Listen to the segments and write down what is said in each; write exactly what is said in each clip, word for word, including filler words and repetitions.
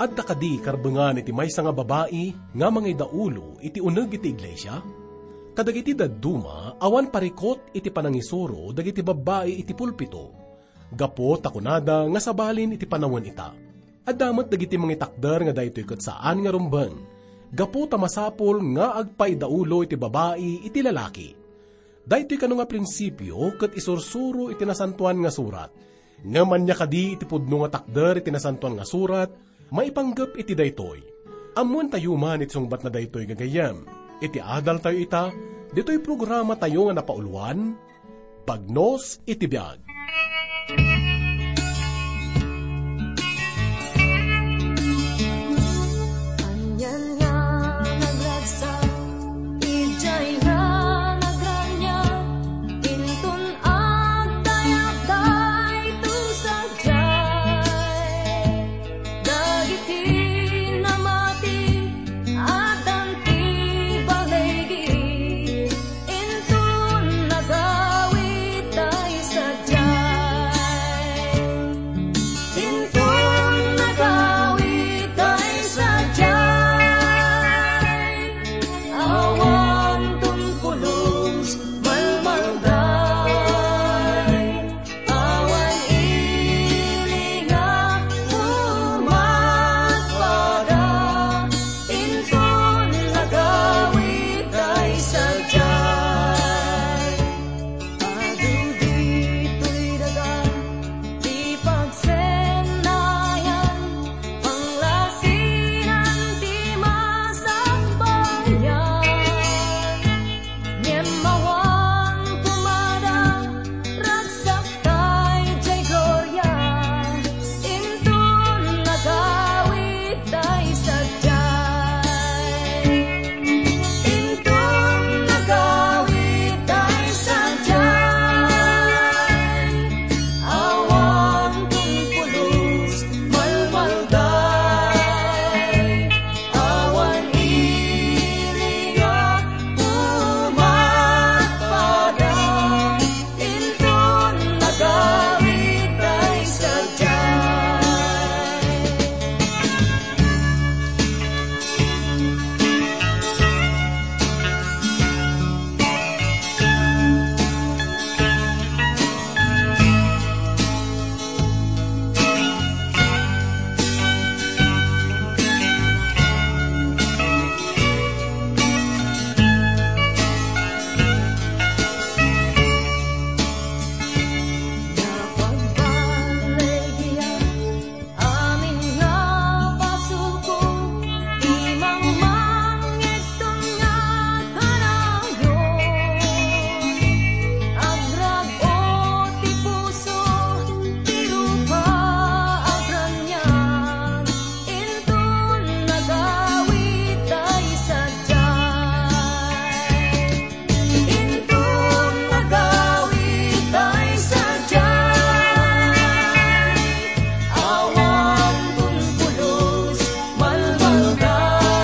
Adda kadi karbengan iti maysa nga babai nga mangidaolo iti uneg iti iglesia? Kadagiti dadduma, awan parikut iti panangisuro dagiti babbai iti pulpito, gapu ta kunada nga sabalin iti panawen ita. Adda met dagiti mangitakder nga daytoy ket saan nga rumbeng, gapu ta masapul nga agpaidaolo iti babai iti lalaki. Daytoy kano nga prinsipio ket isursuro iti Nasantoan nga Surat. Ngem ania kadi iti pudno nga takder iti Nasantoan nga Surat maipanggep iti daytoy? Ammoentayo man iti sungbatna daytoy, gagayyem. Iti adaltayo ita, ditoy programatayo nga napauluan, Bagnos iti Biag. Anian nga nagragsak, idiay nga nagraniag, inton agdayag daytoy sadiay. Dagiti namati, addan ti baligi, inton nagawid tay sadiay. Inton nagawid tay sadiay, awan ton pulos malmalday, awan ili nga umatpada, inton nagawid tay sadiay. Adu ditoy daga ti pagsennayan, panglasinan ti masakbayan. Ngem awan pumada, ragsak tay diay gloria, inton nagawid tay sadiay. Inton nagawid tay sadiay, awan ton pulos malmalday, awan ili nga umatpada, inton nagawid tay sadiay. Amin nga pasulko, ti mangmangngegton nga kanayon. Agrag-o ti puso, ti rupa agraniag, inton nagawid tay sadiay. Inton nagawid tay sadiay, awan ton pulos malmalday,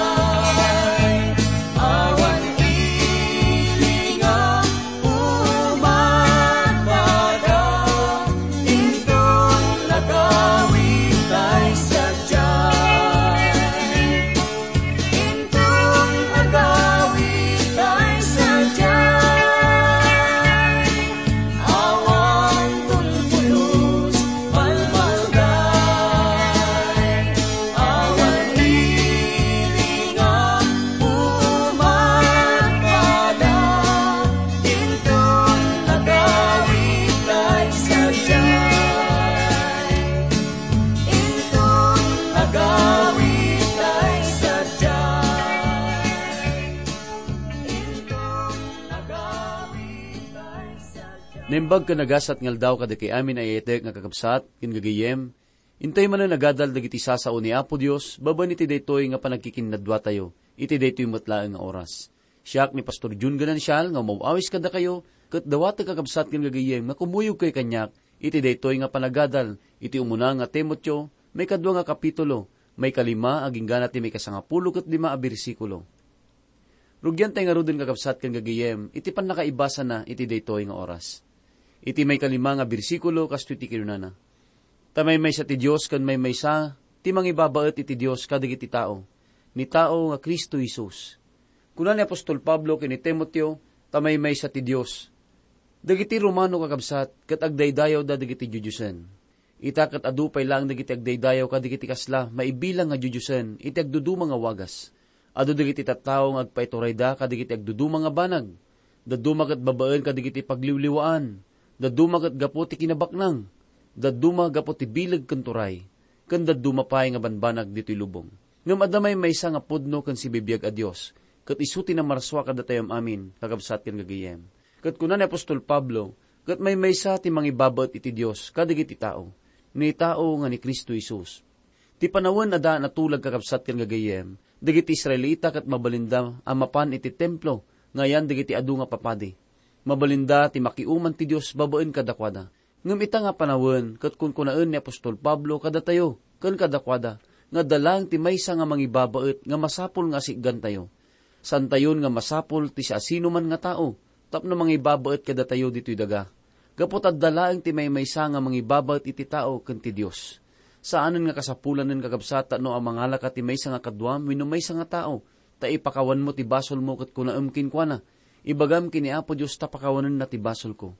awan ili nga umatpada, inton nagawid tay sadiay. Inton agawid tay sadiay, awan ton pulos malmalday, awan ili nga umatpada, inton agawid tay sadiay. Inton agawid tay sadiay. Inton agawid tay sadiay. Naimbag ken nagasat nga aldaw kadagiti amin a yayatek nga kakabsat ken gagayyem. Intay manen agadal dagiti sasao ni Apo Dios babaen iti daytoy nga panagkikinnaduatayo iti daytoy met laeng nga oras. Siak ni Pastor Jun Ganancial nga umaw-awis kadakayo, ket dawatek, kakabsat ken gagayyem, nga kumuyogkayo kaniak iti daytoy nga panagadal iti umuna nga Timoteo, maikadua nga kapitulo, maikalima agingga ti maikasangapulo ket lima a bersikulo. Rugiantay ngaruden, kakabsat ken gagayyem, iti pannakaibasana iti daytoy nga oras. Iti maikalima nga bersikulo, kastoy ti kinunana, Ta maymaysa ti Dios ken maymaysa ti mangibabaet iti Dios kadagiti tao, ni tao nga Cristo Jesus. Kuna ni apostol Pablo ken ni Timoteo, ta maymaysa ti Dios. Dagiti Romano, kakabsat, ket agdaydayawda dagiti diodiosen. Ita ket adu pay laeng dagiti agdaydayaw kadagiti kasla maibilang nga diodiosen iti agduduma nga wagas. Adu dagiti tattao nga agpaiturayda kadagiti agduduma nga banag. Dadduma ket babaen kadagiti pagliwliwaan. Dadduma ket gapu ti kinabaknang. Dadduma gapu ti bileg ken turay. Ken dadduma pay nga banbanag ditoy lubong. Ngem adda maymaysa nga pudno ken sibibiag a Dios, ket isu ti namarsua kadatayo amin, kakabsat ken gagayyem. Ket kuna ni apostol Pablo, ket maymaysa ti mangibabaet iti Dios kadagiti tao, ni tao nga ni Cristo Jesus. Ti panawen a daan a tulag, kakabsat ken gagayyem, dagiti Israelita ket mabalinda a mapan iti templo nga ayan dagiti adu nga papadi. Mabalinda ti makiuman ti Dios babaen kadakuada. Ngem ita nga panawen, ket kunkunaen ni apostol Pablo kadatayo ken kadakuada nga adda laeng ti maysa nga mangibabaet nga masapul nga asitgantayo. Saantayon nga masapul ti siasinoman nga tao tapno mangibabaet kadatayo ditoy daga. Gapu ta adda laeng ti maymaysa nga mangibabaet iti tao ken ti Dios. Saanen nga kasapulanen, kakabsat, no a mangalaka ti maysa nga kaduam wenno maysa nga tao, ta ipakawanmo ti basolmo ket kunaem kenkuana, "Ibagam ken ni Apo Dios ta pakawanenna ti basolko."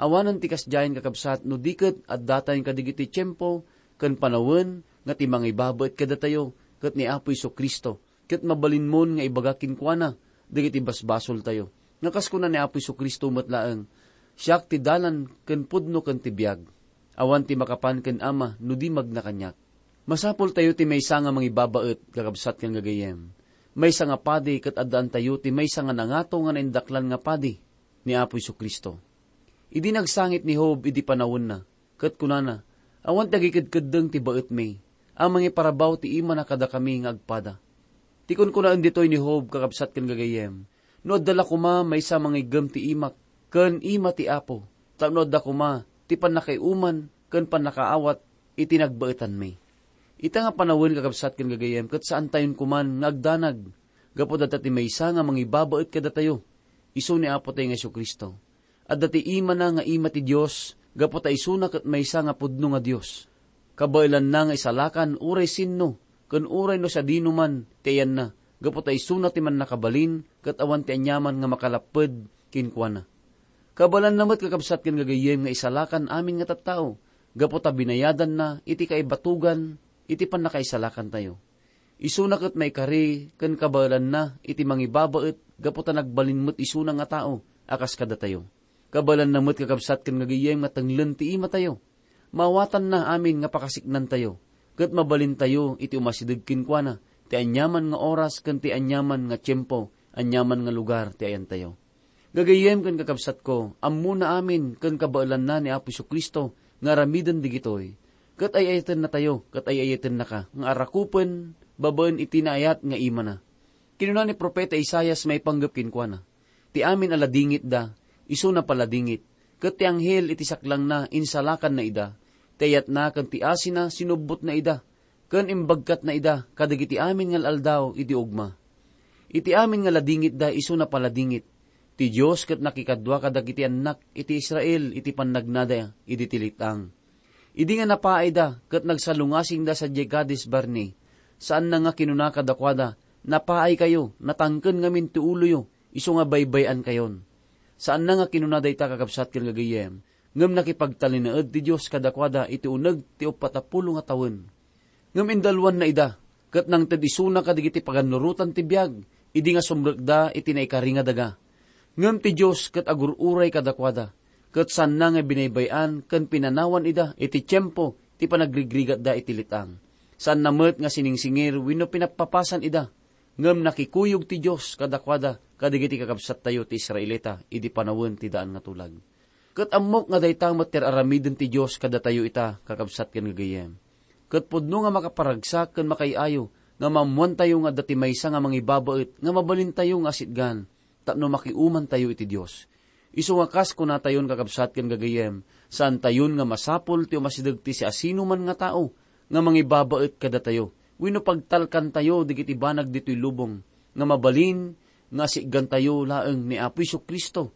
Awanen ti kasdiayen, kakabsat, no di ket addatayon kadagiti tiempo ken panawen nga ti mangibabaet kadatayo ket ni Apo Jesu-Cristo, ket mabalinmon nga ibaga kenkuana dagiti basbasoltayo. Nga kas kuna ni Apo Jesu-Cristo met laeng, "Siak ti dalan ken pudno ken ti biag. Awan ti makapan ken Ama no di magna kaniak." Masapultayo ti maysa nga mangibabaet, kakabsat ken gagayyem. Maysa nga padi ket addaantayo ti maysa nga nangato nga naindaklan nga padi, ni Apo Jesu-Cristo. Idi nagsangit ni Job idi panawenna, ket kunana, "Awan ti agikedkeddeng ti baetmi, a mangiparabaw ti imana kadakami nga agpada." Ti kunkunaen ditoy ni Job, kakabsat ken gagayyem, "No adda la koma maysa mangiggem ti imak ken ima ti Apo, tapno adda koma ti pannakaiuman ken pannakaawat iti nagbaetanmi." Ita nga panawen, kakabsat ken gagayyem, ket saantayon koman nga agdanag, gapu ta adda ti maysa nga mangibabaet kadatayo, isu ni Apotayo nga Jesu-Cristo. Adda ti imana nga ima ti Dios, gapu ta isuna ket maysa nga pudno nga Dios. Kabaelanna nga isalakan uray sinno, ken uray no sadinoman ti ayanna, gapu ta isuna ti mannakabalin, ket awan ti aniaman nga makalapped kenkuana. Kabaelanna met, kakabsat ken gagayyem, nga isalakan amin nga tattao, gapu ta binayadanna iti kaibatugan iti pannakaisalakantayo. Isuna ket maikari ken kabaelanna iti mangibabaet gapu ta nagbalin met isuna nga tao a kas kadatayo. Kabaelanna met, kakabsat ken gagayyem, nga tenglen ti imatayo. Maawatanna amin nga pakasiknantayo, ket mabalintayo iti umasideg kenkuana ti aniaman nga oras ken ti aniaman nga tiempo, aniaman nga lugar ti ayantayo. Gagayyem ken kakabsatko, ammona amin ken kabaelanna ni Apo Jesu-Cristo nga aramiden digitoy, ket ay-ayatennatayo ket ay-ayatennaka nga arakupen babaen iti naayat nga imana. Kinuna ni Profeta Isaias maipanggep kenkuana, "Ti amin a ladingitda, isuna paladingit, ket ti anghel iti saklangna insalakanna ida, ti ayatna ken ti asina sinubbotna ida, ken imbagkatna ida kadagiti amin nga al-aldaw iti ugma." Iti amin nga ladingitda isuna paladingit, ti Dios ket nakikadua kadagiti annak iti Israel iti pannagnada idi ti let-ang. Idi nga napaayda ket nagsalungasingda sadiay Cades Barnea, saanna nga kinuna kadakuada, "Napaaykayo, natangken ngamin ti uloyo, isu nga baybay-ankayon." Saanna nga kinuna dayta, kakabsat ken gagayyem, ngem nakipagtalinaed ti Dios kadakuada iti uneg ti uppat a pulo nga tawen. Ngem indaluanna ida, ket nangted isuna kadagiti pagannurotan ti biag, idi nga sumrekda iti naikari nga daga. Ngem ti Dios ket agur-uray kadakuada, ket saanna nga binaybay-an ken pinanawan ida iti tiempo ti panagrigrigatda iti let-ang. Saanna met nga siningsingir wenno pinappapasan ida, ngem nakikuyog ti Dios kadakuada kadagiti kakabsattayo ti Israelita idi panawen ti daan nga tulag. Ket ammok nga dayta met ti ar-aramiden ti Dios kadatayo ita, kakabsat ken gagayyem. Ket pudno nga makaparagsak ken makaay-ayo nga maammoantayo nga adda ti maysa nga mangibabaet nga mabalintayo nga asitgan tapno makiumantayo iti Dios. Isu nga kas kunatayon, kakabsat ken gagayyem, saantayon nga masapul ti umasideg ti siasinoman nga tao nga mangibabaet kadatayo wenno pagtalkantayo dagiti banag ditoy lubong nga mabalin nga asitgantayo laeng ni Apo Jesu-Cristo.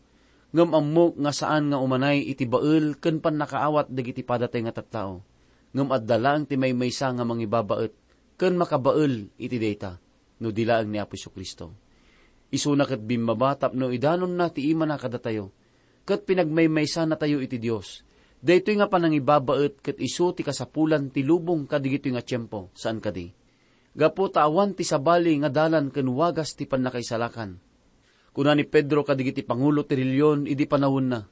Ngem ammok nga saan nga umanay iti bael ken pannakaawat dagiti padatayo nga tattao. ngem adda laeng ti maymaysa nga mangibabaet ken makabael iti dayta, no di laeng ni Apo Jesu-Cristo. Isuna ket bimmaba tapno idanonna ti imana kadatayo, ket pinagmaymaysanatayo iti Dios. Daytoy nga panangibabaet ket isu ti kasapulan ti lubong kadagitoy nga tiempo, saan kadi? Gapu ta awan ti sabali nga dalan ken wagas ti pannakaisalakan. Kuna ni Pedro kadagiti pangulo ti relihion idi panawenna,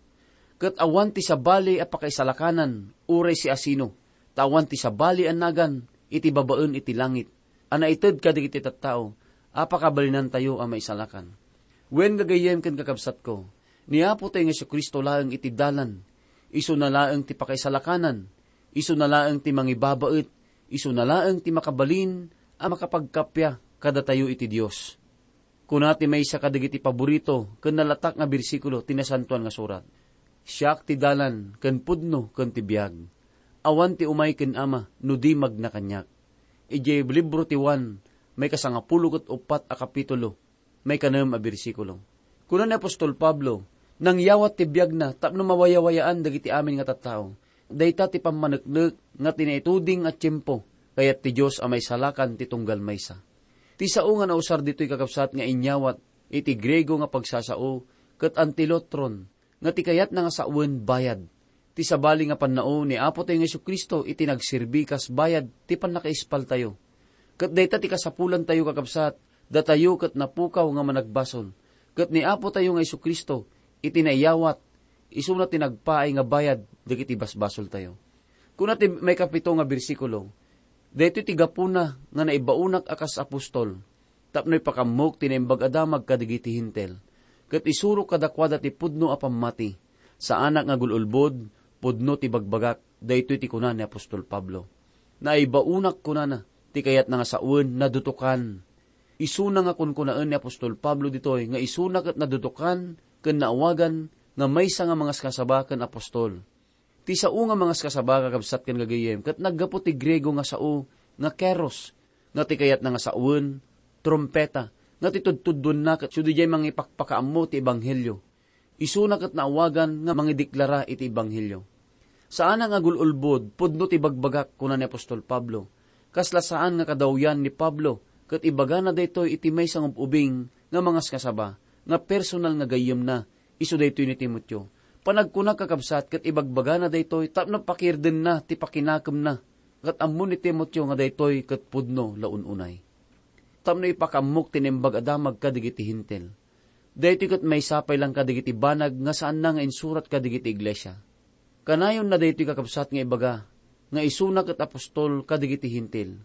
ket awan ti sabali a pakaisalakanan uray siasino, ta awan ti sabali a nagan iti babaen iti langit a naited kadagiti tattao a pakabalinantayo a maisalakan. Wen, gagayyem ken kakabsatko, ni Apotayo nga Jesu-Cristo laeng iti dalan, isuna laeng ti pakaisalakanan, isuna laeng ti mangibabaet, isuna laeng ti makabalin a makapagkappia kadatayo iti Dios. Kuna ti maysa kadagiti paborito ken nalatak nga bersikulo ti Nasantoan nga Surat, "Siak ti dalan ken pudno ken ti biag. Awan ti umay ken Ama no di magna kaniak." Idiay libro ti Juan, maikasangapulo ket uppat a kapitulo, maikanem a bersikulo. Kuna ni apostol Pablo, nangyawat ti biagna tapno mawayawayaan dagiti amin nga tattao. Dayta ti pammaneknek nga ti naituding a tiempo, kayat ti Dios a maisalakan ti tunggal maysa. Ti sao nga nausar ditoy, kakabsat, nga inyawat iti Griego nga pagsasao ket antilotron, nga ti kayatna nga sawen, bayad. Ti sabali nga pannao ni Apotayo nga Jesu-Cristo iti nagserbi kas bayad ti pannakaispaltayo. Ket dayta ti kasapulantayo, kakabsat, datayo ket napukaw nga managbasol. Ket ni Apotayo nga Jesu-Cristo iti naiyawat, isuna ti nagpaay nga bayad dagiti basbasoltayo. Kuna ti maikapito nga bersikulo, "Daytoy ti gapuna nga naibaonak a kas apostol, tapno ipakammok ti Naimbag a Damag kadagiti Hentil, ket isurok kadakuada ti pudno a pammati. Saanak nga agul-ulbod, pudno ti bagbagak." Daytoy ti kuna ni apostol Pablo. "Naibaonak," kunana, ti kayatna nga sawen, nadutokan. Isuna nga kunkunaen ni apostol Pablo ditoy nga isuna ket nadutokan ken naawagan nga maysa nga mangaskasaba ken apostol. Ti sao nga mangaskasaba, kakabsat ken gagayyem, ket naggapu ti Griego nga sao nga keros, nga ti kayatna nga sawen, trumpeta, nga ti tudtuddonna ket isu diay mangipakpakaammo ti ebanghelio. Isuna ket naawagan nga mangideklara iti ebanghelio. Saanak nga agul-ulbod, pudno ti bagbagak, kuna ni apostol Pablo. Kasla saan nga kadawyan ni Pablo, ket ibagana daytoy iti maysa nga ub-ubing nga mangaskasaba, nga personal nga gayyemna, isu daytoy ni Timoteo. Panagkunak, kakabsat, ket ibagbagana daytoy tapno pakirdenna ti pakinakemna, ket ammo ni Timoteo nga daytoy ket pudno la un-unay. Tapno ipakammok ti Naimbag a Damag kadagiti Hentil. Daytoy ket maysa pay laeng kadagiti banag nga saanna nga insurat kadagiti iglesia. Kanayonna daytoy, kakabsat, nga ibaga nga isuna ket apostol kadagiti Hentil.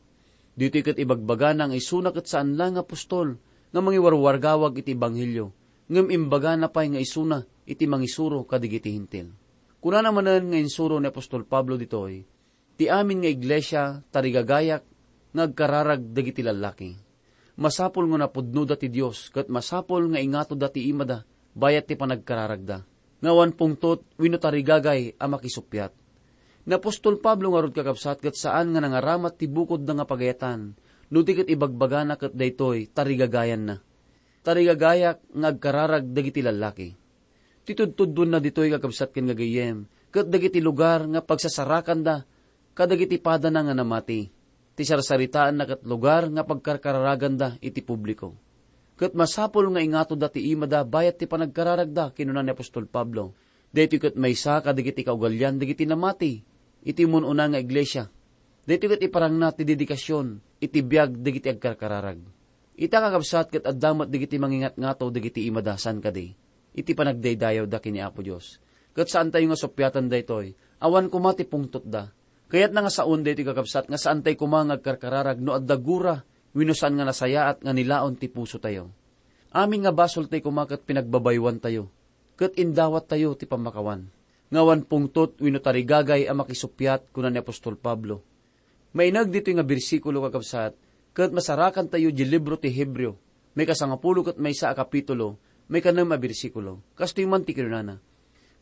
Ditoy ket ibagbagana nga isuna ket saan laeng nga apostol nga mangiwarwargawag iti ebanghelio, ngem imbagana pay nga isuna iti mangisuro kadagiti Hentil. Kunana manen nga insuro ni apostol Pablo ditoy, "Ti amin nga iglesia, tarigagayak nga agkararag dagiti lallaki." Masapul nga napudnoda ti Dios ket masapul nga ingatoda ti imada bayat ti panagkararagda, nga awan pungtot wenno tarigagay a makisuppiat. Ni apostol Pablo ngarud, kakabsat, ket saan nga nangaramat ti bukodna nga pagayatan, no di ket ibagbagana ket daytoy tarigagayanna. "Tarigagayak nga agkararag dagiti lallaki." Ti tudtuddonna ditoy, kakabsat ken gagayyem, ket dagiti lugar nga pagsasarakanda kadagiti padana nga namati. Ti sarsaritaanna ket lugar nga pagkarkararaganda iti publiko. Ket masapul nga ingatoda ti imada bayat ti panagkararagda, kinuna ni apostol Pablo. Daytoy ket maysa kadagiti kaugalian dagiti namati iti ummun-una nga iglesia. Daytoy ket iparangna ti dedikasion iti biag dagiti agkarkararag. Ita, kakabsat, ket adda met dagiti mangingatngato dagiti imada, saan kadi, iti panagdaydayawda ken ni Apo Dios. Ket saantayo nga suppiatan daytoy, awan koma ti pungtotda. Kayatna nga saon daytoy, kakabsat, nga saantay koma nga agkarkararag no adda gura wenno saan nga nasayaat nga nilaon ti pusotayo. Amin nga basoltayo koma ket pinagbabaywantayo, ket indawattayo ti pammakawan. Nga awan pungtot wenno tarigagay a makisuppiat, kuna ni apostol Pablo. Maineg ditoy nga bersikulo, kakabsat, ket masarakantayo di libro ti Hebreo, maikasangapulo ket maysa a kapitulo, maikanem a bersikulo. Kastoy man ti kinunana,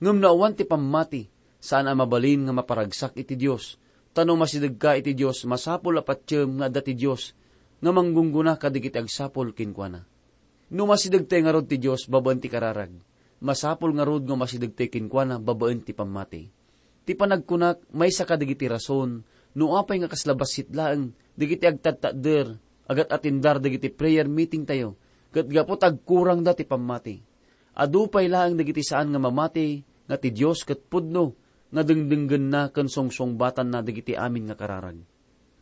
"Ngem no awan ti pammati, saan a mabalin nga maparagsak iti Dios. Ta no masidegka iti Dios, masapul a patiem nga adda ti Dios nga manggunggona kadagiti agsapul kenkuana." No masidegtay ngarud ti Dios babaen ti kararag, masapul ngarud nga masidegtay kenkuana babaen ti pammati. Ti panagkunak, maysa kadagiti rason No apay nga kasla bassit laeng dagiti agtadtadder, agat-atindar dagiti prayer meeting tayo, ket gapu ta agkurangda ti pammati. Adu pay laeng dagiti saan nga mamati nga ti Dios ket pudno nga dengdenggenna ken sungsungbatanna dagiti amin nga kararag.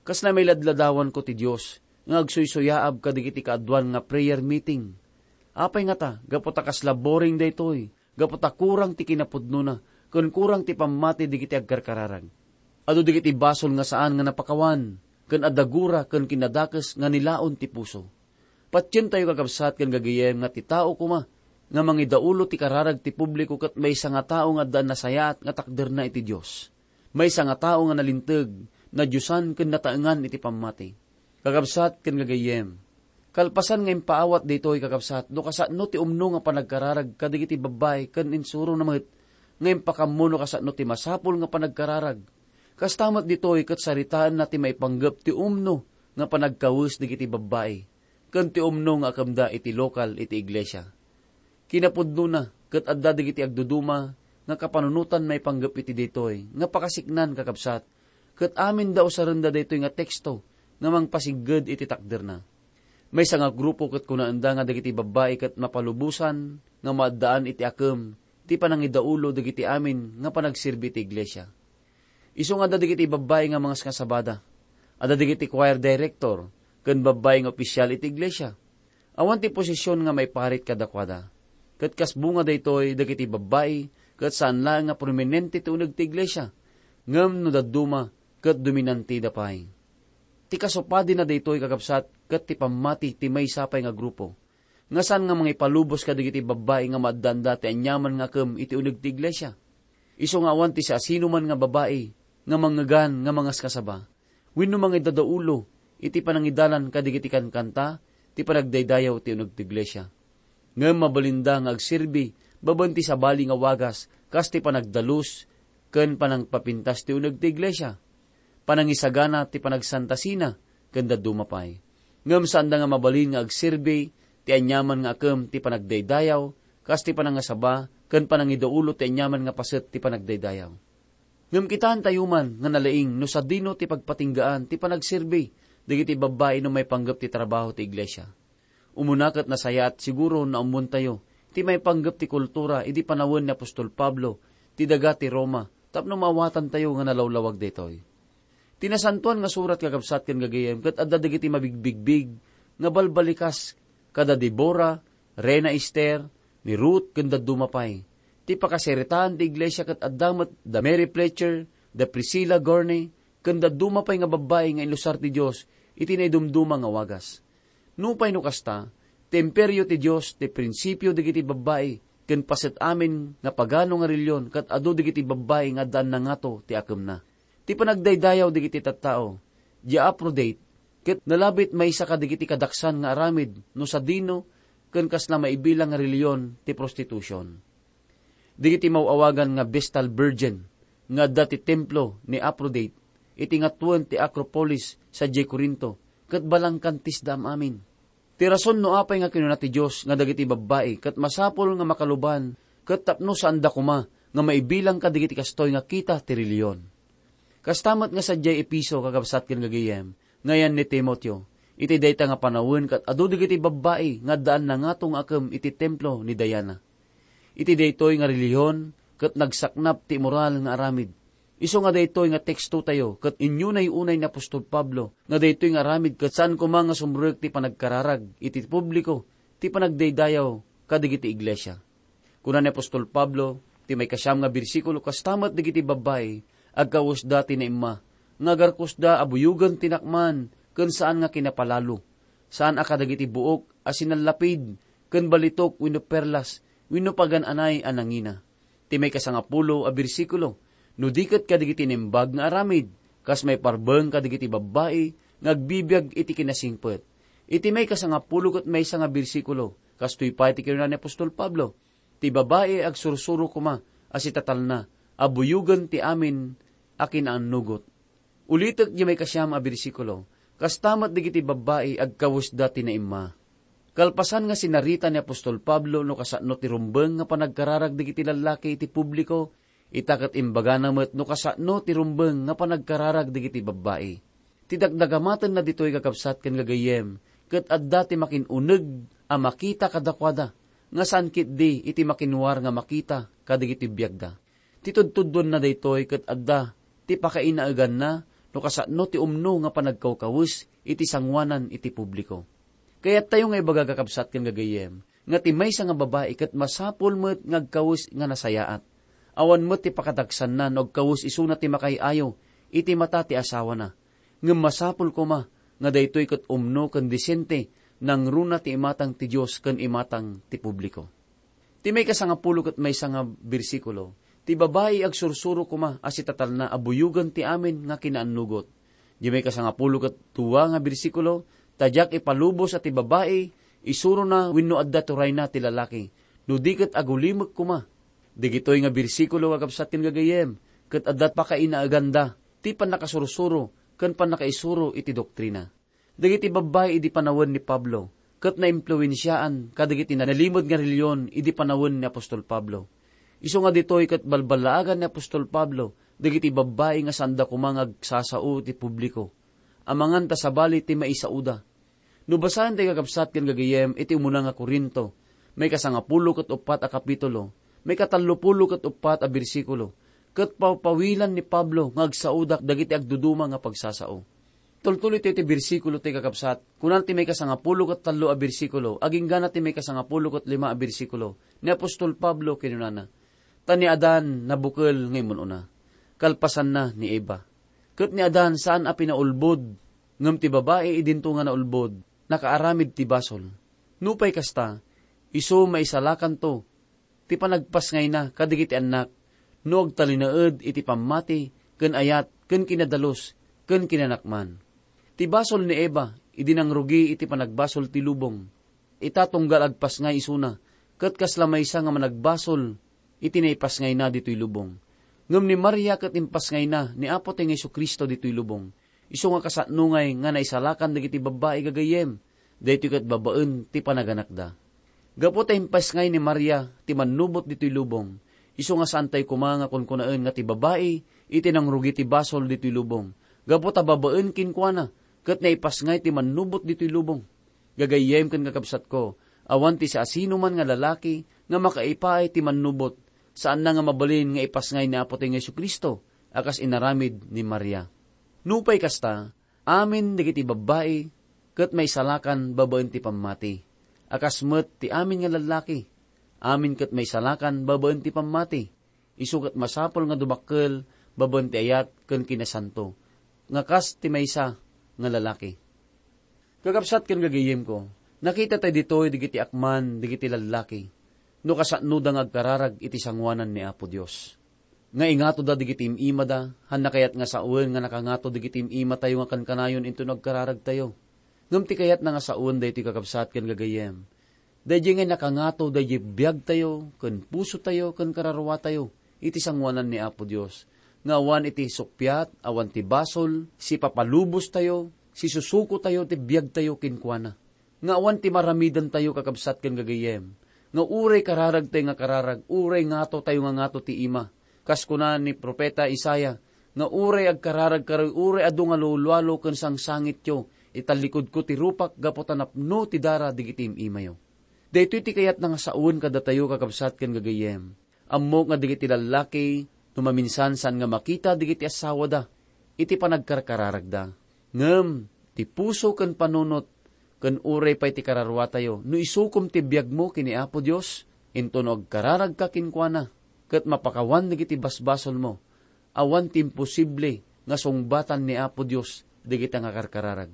Kasla mailadladawanko ti Dios nga agsuysuyaab kadagiti kaaduan nga prayer meeting. Apay ngata, gapu ta kasla boring daytoy, gapu ta kurang ti kinapudnona, ken kurang ti pammati dagiti agkarkararag. Adu dagiti basol nga saan nga napakawan, ken adda gura ken kinadakes nga nilaon ti puso. Patientayo, kakabsat ken gagayem, nga ti tao koma nga mangidaulo ti kararag ti publiko ket maysa nga tao nga adda nasayaat nga takderna iti Dios. Maysa nga tao nga nalinteg, nadiosan ken nataengan iti pammati. Kakabsat ken gagayem, kalpasan nga impaawat ditoy, kakabsat, no kasano ti umno nga panagkararag kadagiti babbai ken insurona met nga impakaammo no kasano ti masapul nga panagkararag. Kasta met ditoy ket saritaenna ti maipanggep ti umno nga panagkawes dagiti babbai ken ti umno nga akemda iti lokal iti iglesia. Kinapudnona, ket adda dagiti agduduma nga kapanunotan maipanggep iti daytoy nga pakasiknan, kakabsat, ket aminda usarenda daytoy nga teksto nga mangpasigged iti takderna. Maysa nga grupo ket kunaenda nga dagiti babbai ket mapalubosan nga maaddaan iti akem ti panangidaulo dagiti amin nga panagserbi iti iglesia. Isu nga adda dagiti babbai nga mangasngasabada. Adda dagiti choir director ken babbai nga opisial iti iglesia. Awan ti posisyon nga maiparit kadakuada. Ket kas bunga daytoy dagiti babbai ket saan laeng nga prominente ti uneg ti iglesia, ngem no dadduma ket dominantida pay. Ti kasupadina daytoy, kakabsat, ket ti pammati ti maysa pay nga grupo nga saan nga mangipalubos kadagiti babbai nga maaddaanda ti aniaman nga akem iti uneg ti iglesia. Isu nga awan ti siasinoman nga babai nga mangngegan nga mangasngasaba wenno mangidadaulo iti panangidalan kadagiti kankanta ti panagdaydayaw ti uneg ti iglesia. Ngem mabalinda nga agserbi babaen ti sabali nga wagas kas ti panagdalus ken panangpapintas ti uneg ti iglesia, panangisagana ti panagsantasina, ken dadduma pay. Ngem saanda nga mabalin nga agserbi ti aniaman nga akem ti panagdaydayaw, kas ti panangasaba ken panangidaulo ti aniaman nga paset ti panagdaydayaw. Ngem kitaentayo man nga nalaing no sadino ti pagpatinggaan ti panagserbi dagiti babbai no maipanggep ti trabaho ti iglesia. Umuna ket nasayaat siguro no ammontayo ti maipanggep ti kultura idi panawen ni apostol Pablo ti daga ti Roma tapno maawatantayo nga nalawlawag daytoy. Ti Nasantoan nga Surat, kakabsat ken gagayem, ket adda dagiti mabigbigbig nga balbalikas kada Debora, Reina Ester, ni Ruth, ken dadduma pay. Ti pakasaritaan ti iglesia ket adda met da Mary Fletcher, da Priscilla Gorney, ken dadduma pay nga babbai nga inusar ti Dios iti naidumduma nga wagas. Nupay no kasta, ti imperio ti Dios ti prinsipio dagiti babbai ken paset amin nga pagano nga relihion ket adu dagiti babbai nga addaan nangato ti akemna. Ti panagdaydayaw dagiti tattao, dia Aphrodite, ket nalabit maysa kadagiti kadaksan nga aramid no sadino ken kasla maibilang nga relihion ti prostitution. Dagiti maw-awagan nga Vestal Virgin nga adda ti templo ni Aphrodite iti ngatuen ti Acropolis sadiay Corinto ket balangkantisda am-amin. Ti rason no apay nga kinuna ti Dios nga dagiti babbai ket masapul nga makaluban ket tapno saanda koma nga maibilang kadagiti kastoy nga kita ti relihion. Kasta met nga sadiay Efeso, kakabsat ken gagayem, nga ayan ni Timoteo, iti dayta nga panawen ket adu dagiti babbai nga addaan nangato nga akem iti templo ni Diana. Iti daytoy nga relihion ket nagsaknap ti immoral nga aramid. Isu nga daytoy nga tekstotayo ket inyunay-unay ni apostol Pablo nga daytoy nga aramid ket saan koma nga sumrek ti panagkararag iti publiko ti panagdaydayaw kadagiti iglesia. Kuna ni apostol Pablo, ti maikasiam nga bersikulo, kasta met dagiti babbai, agkawesda ti naimma, nga agarkosda a buyogen ti nakman ken saan nga kinapalalo, saan a kadagiti buok a sinallapid ken balitok wenno perlas wenno pagan-anay a nangina. Ti maikasangapulo a bersikulo, no di ket kadagiti naimbag nga aramid, kas maiparbeng kadagiti babbai nga agbibiag iti kinasingpet. Iti maikasangapulo ket maysa nga bersikulo, kastoy pay ti kinuna ni apostol Pablo, ti babai agsursuro koma a sitatalna a buyogen ti amin a kinaannugot. Ulitek diay maikasiam a bersikulo, kasta met dagiti babbai agkawesda ti naimma. Kalpasan nga sinarita ni apostol Pablo no kasano ti rumbeng nga panagkararag dagiti lallaki iti publiko, Ita ket imbagana met no kasano ti rumbeng nga panagkararag dagiti babbai. Ti dakdagamatenna ditoy, kakabsat ken gagayyem, ket adda ti makin-uneg a makita kadakuada, nga saan ketdi iti makinwar nga makita kadagiti biagda. Ti tudtuddonna daytoy ket adda ti pakainaeganna no kasano ti umno nga panagkawkawes iti sanguanan iti publiko. Kayattayo nga ibaga, kakabsat ken gagayyem, nga ti maysa nga babai ket masapul met nga agkawes nga nasayaat. Awan met ti pakadagsanna no agkawes isuna ti makaay-ayo iti mata ti asawana. Ngem masapul koma nga daytoy ket umno ken disente nangruna ti imatang ti Dios ken imatang ti publiko. Ti maikasangapulo ket maysa nga bersikulo, ti babai agsursuro koma a sitatalna a buyogen ti amin nga kinaannugot. Di maikasangapulo ket dua nga bersikulo, ta diak ipalubos a ti babai isurona wenno adda turayna ti lalaki, no di ket agulimek koma. Dagitoy nga bersikulo, kakabsat ken gagayyem, ket adda pakainaeganda ti pannakasursuro ken pannakaisuro iti doktrina. Dagiti babbai idi panawen ni Pablo ket naimpluensiaan kadagiti nalimed nga relihion idi panawen ni apostol Pablo. Isu nga ditoy ket balballaagan ni apostol Pablo dagiti babbai nga saanda koma nga agsasao ti publiko. Amangan ta sabali ti maisaoda. No basaen ti, kakabsat ken gagayyem, iti umuna nga Corinto, maikasangapulo ket uppat a kapitulo, maikatallopulo ket uppat a bersikulo, ket pawpawilan ni Pablo nga agsaoda dagiti agduduma nga pagsasao. Tultuloy ti, ti bersikulo ti, kakabsat. Kunan ti maikasangapulo ket tallo a bersikulo, aginggana ti maikasangapulo ket lima a bersikulo, ni apostol Pablo kinunana, "Ta ni Adan nabukel nga immun-una, kalpasanna ni Eva. Ket ni Adan saan a pinaulbod, ngem ti babai idinto nga naulbod, nakaaramid ti basol. Nupay kasta, isu maisalakanto ti panagpasngayna kadagiti annak no agtalinaed iti pammati ken ayat ken kinadalus ken kinanakman. Ti basol ni Eva idi nangrugi iti panagbasol ti lubong. Ita tunggal agpasngay isuna, ket kasla maysa nga managbasol iti naipasngayna ditoy lubong. Ngem ni Maria ket impasngayna ni Apotayo nga Jesu-Cristo ditoy lubong. Isu nga kasano ngay nga naisalakan dagiti babbai, gagayyem, daytoy ket babaen ti panaganakda. Gapu ta impasngay ni Maria ti mannubot ditoy lubong, isu nga saantayo koma nga kunkunaen nga ti babai iti nangrugi ti basol ditoy lubong, gapu ta babaen kenkuana ket naipasngay ti mannubot ditoy lubong. Gagayyem ken kakabsatko, awan ti siasinoman nga lalaki nga makaipaay ti mannubot, saanna nga mabalin nga ipasngay ni Apotayo nga Jesu-Cristo a kas inaramid ni Maria. Nupay kasta, amin dagiti babbai ket maisalakan babaen ti pammati, a kas met ti amin nga lallaki, amin ket maisalakan babaen ti pammati. Isu ket masapul nga dumakkel babaen ti ayat ken kinasanto, nga kas ti maysa nga lalaki. Kakabsat ken gagayyemko, nakita tayo ditoy dagiti akman dagiti lallaki no kasanoda nga agkararag iti sanguanan ni Apo Dios. Nga ingatoda dagiti im-imada, hanna kayat nga sawen nga nakangato dagiti im-imatayo nga kankanayon inton agkararagtayo. Ngem ti kayatna nga sawen daytoy, kakabsat ken gagayyem, daydiay nga nakangato daydiay biagtayo ken pusotayo ken kararuatayo iti sanguanan ni Apo Dios, nga awan iti suppiat, awan ti basol, sipapalubostayo, sisusukotayo ti biagtayo kenkuana. Nga awan ti maramidantayo, kakabsat ken gagayyem, nga uray kararagtayo nga kararag, uray ngatotayo nga ngato ti ima. Kas kuna ni Profeta Isaiah, nga uray agkararagkayo, uray adu nga lualualo ken sangsangityo, itallikudko ti rupak gapu ta napno ti dara dagiti im-imayo. Daytoy ti kayatna nga sawen kadatayo, kakabsat ken gagayyem. Ammok nga dagiti lallaki, no maminsan saan nga makita dagiti asawada iti panagkarkararagda. Ngem ti puso ken panunot ken uray pay ti kararuatayo, no isukom ti biagmo ken ni Apo Dios, inton no agkararagka kenkuana, ket mapakawan dagiti basbasolmo, awan ti imposible nga sungbatan ni Apo Dios dagita nga karkararag.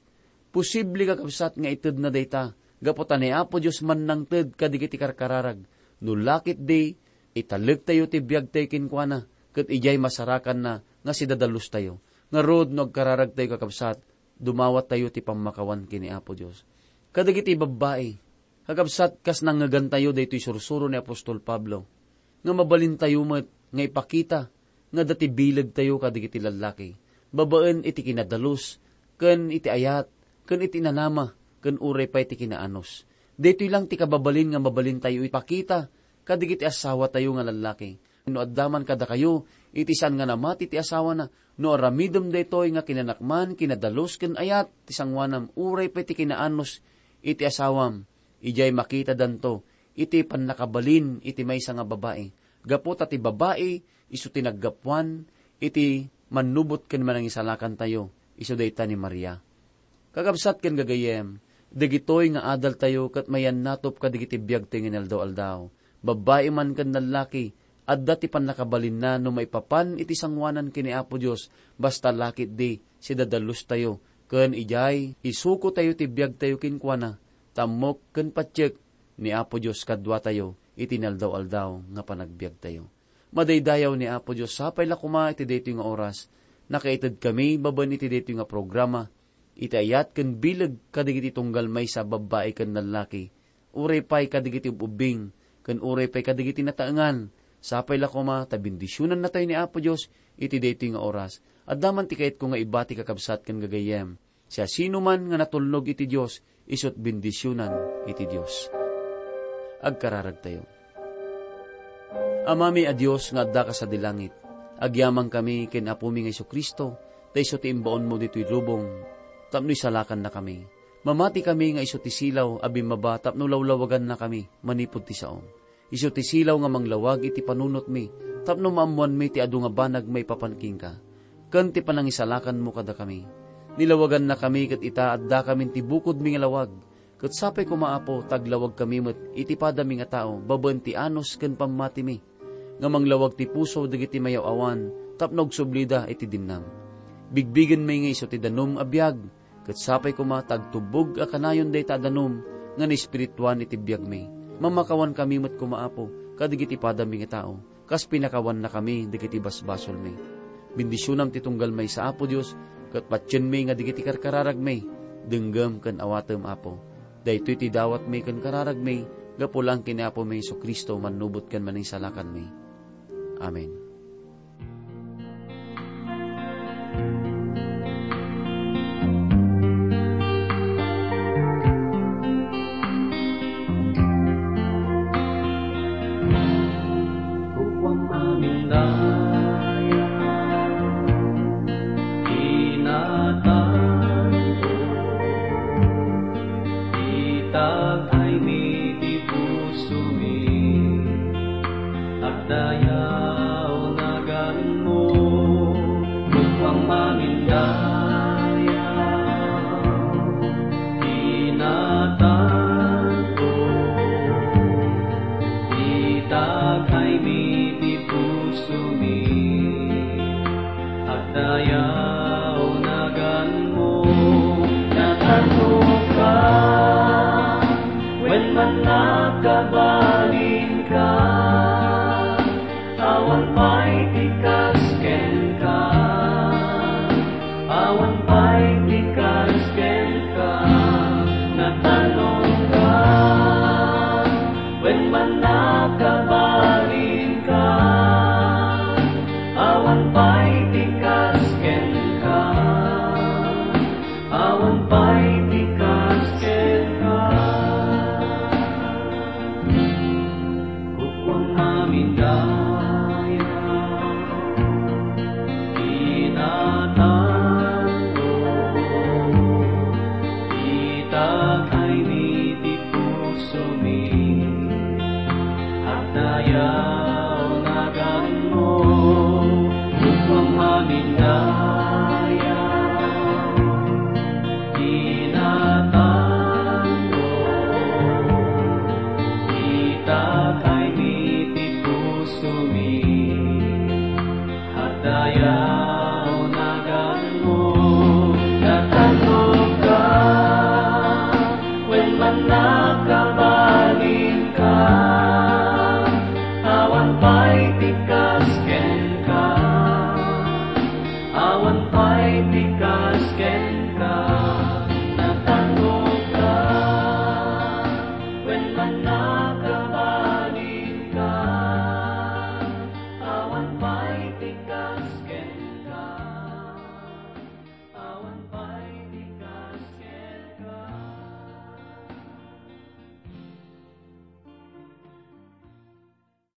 Posible, kakabsat, nga itedna dayta, gapu ta ni Apo Dios mannangted kadagiti karkararag. No la ketdi, italektayo ti biagtayo kenkuana, ket idiay masarakanna nga sidadalustayo. Ngarud, no agkararagtayo, kakabsat, dumawattayo ti pammakawan ken ni Apo Dios. Kadagiti babbai, kakabsat, kas nangngegantayo daytoy sursuro ni apostol Pablo, nga mabalintayo met nga ipakita nga adda ti bilegtayo kadagiti lallaki, babaen iti kinadalus, ken iti ayat, ken iti nanama, ken uray pay ti kinaanus. Daytoy lang ti kababalin nga mabalintayo ipakita kadagiti asawatayo nga lallaki. No adda man kadakayo iti saan nga namati ti asawana, no aramidem daytoy nga kinanakman, kinadalus ken ayat ti sangoanam, uray pay ti kinaanus iti asawam, idiay makitadanto iti pannakabalin iti maysa nga babai. Gapu ta ti babai isu ti naggapuan iti mannubot ken manangisalakantayo, isu dayta ni Maria. Kakabsat ken gagayyem, dagitoy nga adaltayo ket mayannatop kadagiti biagtayo nga inaldaw-aldaw. Babbai man ken nallaki, adda ti pannakabalinna no maipapan iti sangoanan ken ni Apo Dios, basta la ketdi sidadalustayo, ken idiay isukotayo ti biagtayo kenkuana, tammok ken patiek ni Apo Dios kaduatayo iti inaldaw-aldaw nga panagbiagtayo. Madaydayaw ni Apo Dios, sapay la koma iti daytoy nga oras, nakaitedkami babaen iti daytoy nga programa, iti ayat ken bileg kadagiti tunggal maysa, babbai ken nallaki, uray pay kadagiti ub-ubbing, ken uray pay kadagiti nataengan. Sapay la koma ta bendisionannatayo ni Apo Dios iti daytoy nga oras. Adda man ti kayatko nga ibati, kakabsat ken gagayyem. Siasinoman nga natulnog iti Dios, isut' bendisionan iti Dios. Agkararagtayo. Amami a Dios nga addaka sadi langit, agyamankami ken Apomi nga Jesu-Cristo, ta isu ti imbaonmo ditoy lubong tapno isalakannakami. Mamatikami nga isu ti silaw a bimmaba tapno lawlawagannakami manipud ti saom. Isu ti silaw nga manglawag iti panunotmi tapno maammoanmi ti adu nga banag maipapan kenka, ken ti panangisalakanmo kadakami. Nilawagannakami ket ita, addakamin ti bukodmi nga lawag. Ket sapay koma, Apo, ta aglawagkami met iti padami nga tao babaen ti anus ken pammatimi, nga manglawag ti puso dagiti mayaw-awan tapno agsublida iti dinnam. Bigbigenmi nga isu ti danum a biag, ket sapay koma ta agtubbog a kanayon dayta a danum nga naespirituan iti biagmi. Mammakawankami met koma, Apo, kadagiti padami nga tao, kas pinakawannakami dagiti basbasolmi. Bendisionam ti tunggal maysa, Apo Dios, ket patienmi nga dagiti karkararagmi denggem ken awatem, Apo. Daytoy ti dawatmi ken kararagmi gapu laeng ken ni Apomi Jesu-Cristo, mannubot ken Manangisalakanmi. Amen. Kukuam amin dayag, inatanto, itag-aymi ti pusomi, agdayaw naganmo, kukuam amin dayag, inatanto, itag-aymi ti pusomi, agdayaw naganmo, natantoka, wen mannakabalinka, awan pay ti kas kenka, awan pay ti kas kenka, natantoka, wen mannakabalinka, awan pay ti kas kenka, awan pay ti kas kenka. Kukuam amin dayag, inatanto, itag-aymi ti pusomi, agdayaw naganmo, kukuam amin dayag, inatanto, itag-aymi ti pusomi, agdayaw